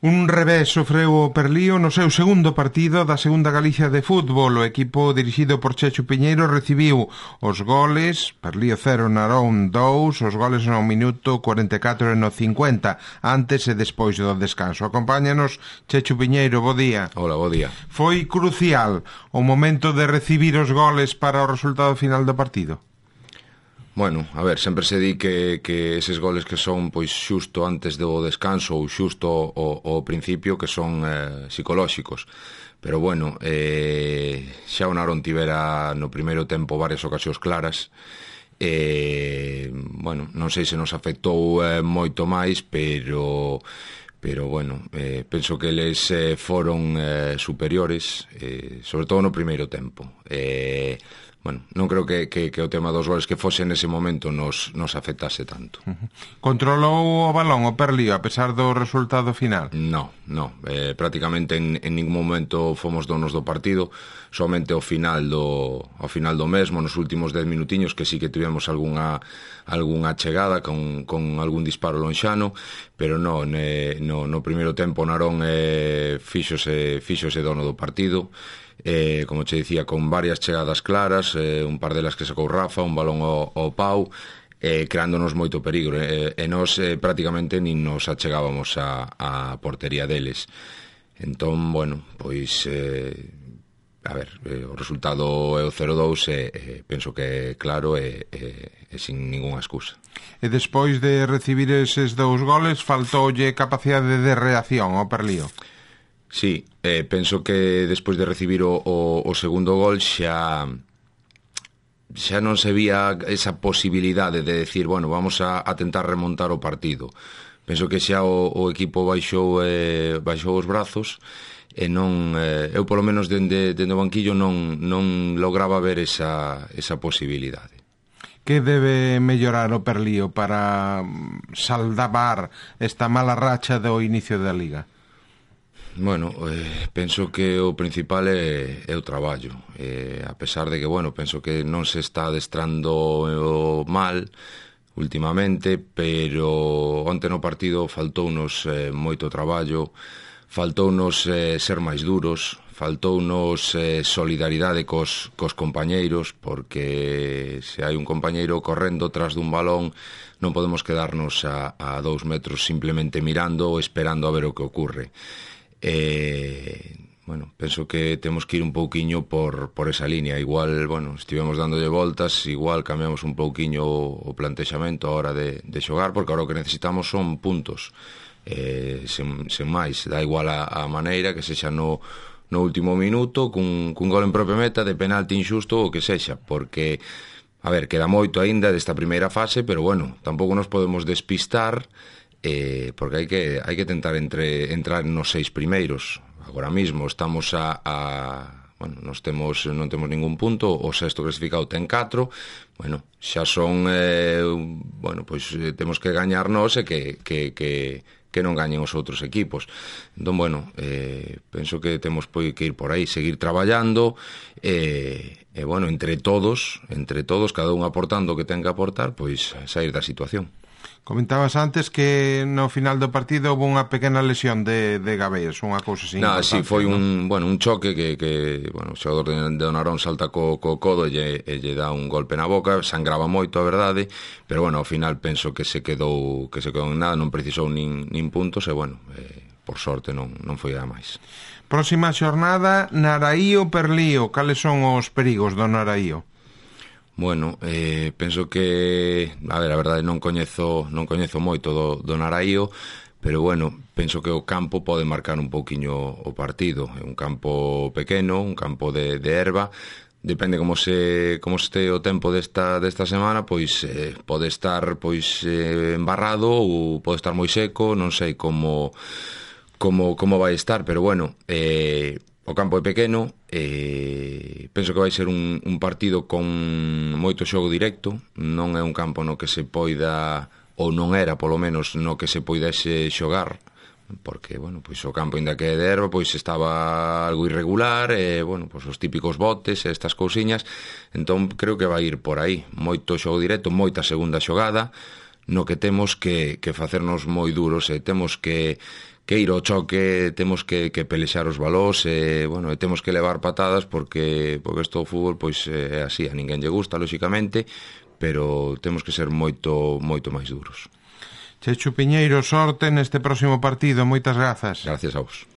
Un revés sofreu o Perlío no seu segundo partido da segunda Galicia de fútbol. O equipo dirixido por Chechu Piñeiro recibiu os goles, Perlío 0, Narón 2, os goles no minuto 44 e no 50, antes e despois do descanso. Acompáñanos Chechu Piñeiro, bo día. Hola, bo día. Foi crucial o momento de recibir os goles para o resultado final do partido? Bueno, a ver, sempre se di que eses goles que son pois xusto antes do descanso ou xusto ao principio que son psicolóxicos. Pero bueno, xa o Narón tivera no primeiro tempo varias ocasións claras. Bueno, non sei se nos afectou moito máis, pero bueno, penso que eles foron superiores, sobre todo no primeiro tempo. Bueno, non creo que o tema dos goles que fose nese momento nos afectase tanto. Controlou o balón o Perlío a pesar do resultado final? No, prácticamente en ningún momento fomos donos do partido, somente ao final do mesmo, nos últimos 10 minutiños que sí que tivemos algunha chegada con algún disparo lonxano, pero no primeiro tempo Narón fíxose dono do partido. Como che dicía, con varias chegadas claras, un par delas que sacou Rafa, un balón ao pau, creándonos moito peligro, e nós prácticamente nin nos achegábamos a portería deles. Entón, bueno, pois a ver, o resultado é o 0-2 e penso que é claro e sin ningunha excusa. E despois de recibir eses dous goles faltoulle capacidade de reacción ao Perlío? Sí, penso que despois de recibir o segundo gol xa non se vía esa posibilidade de decir, bueno, vamos a tentar remontar o partido. Penso que xa o equipo baixou os brazos e non, eu polo menos dende o banquillo non lograba ver esa posibilidade. Que debe mellorar o Perlío para salvar esta mala racha do inicio da Liga? Bueno, penso que o principal é o traballo, a pesar de que, bueno, penso que non se está adestrando mal últimamente, pero onte no partido faltounos moito traballo, faltounos ser máis duros, faltounos solidaridade cos compañeiros, porque se hai un compañeiro correndo tras dun balón non podemos quedarnos a 2 metros simplemente mirando ou esperando a ver o que ocurre. Bueno, penso que temos que ir un pouquiño por esa línea. Igual, bueno, estivemos dándolle voltas, igual cambiamos un pouquiño o plantexamento a hora de xogar, porque agora o que necesitamos son puntos, sen máis. Dá igual a maneira que sexa no último minuto, cun gol en propia meta, de penalti injusto, o que sexa, porque, a ver, queda moito aínda desta primeira fase, pero bueno, tampouco nos podemos despistar, porque hai que tentar entrar nos 6 primeiros. Agora mismo estamos bueno, non temos ningún punto, o sexto clasificado ten 4, bueno, xa son bueno, pois temos que gañar nós e que non gañen os outros equipos. Entón, bueno, penso que temos que ir por aí, seguir traballando e bueno, entre todos, cada un aportando o que ten que aportar, pois sair da situación. Comentabas antes que no final do partido houve unha pequena lesión de Gabés, unha cousa así. Sí, foi un choque que bueno, o xogador de Narón salta co codo e lle dá un golpe na boca, sangraba moito, a verdade, pero bueno, ao final penso que se quedou en nada, non precisou nin puntos e bueno, por sorte non foi a máis. Próxima xornada, Naraío Perlío, cales son os perigos do Naraío? Bueno, penso que, a ver, a verdade non coñezo moito do Naraío, pero bueno, penso que o campo pode marcar un pouquiño o partido. É un campo pequeno, un campo de erva, depende como este o tempo desta semana, pois pode estar embarrado ou pode estar moi seco, non sei como vai estar, pero bueno, o campo é pequeno, penso que vai ser un partido con moito xogo directo, non é un campo no que se poida, ou non era polo menos no que se poidese xogar, porque, bueno, pois o campo ainda que é de erva, pois estaba algo irregular, e, bueno, pois os típicos botes e estas cousiñas, entón creo que vai ir por aí, moito xogo directo, moita segunda xogada, no que temos que facernos moi duros e temos que ir ao choque, temos que pelexar os balós, bueno, e temos que levar patadas porque isto do fútbol pois é así, a ninguén lle gusta, lóxicamente, pero temos que ser moito máis duros. Chechu Piñeiro, sorte neste próximo partido, moitas grazas. Gracias a vos.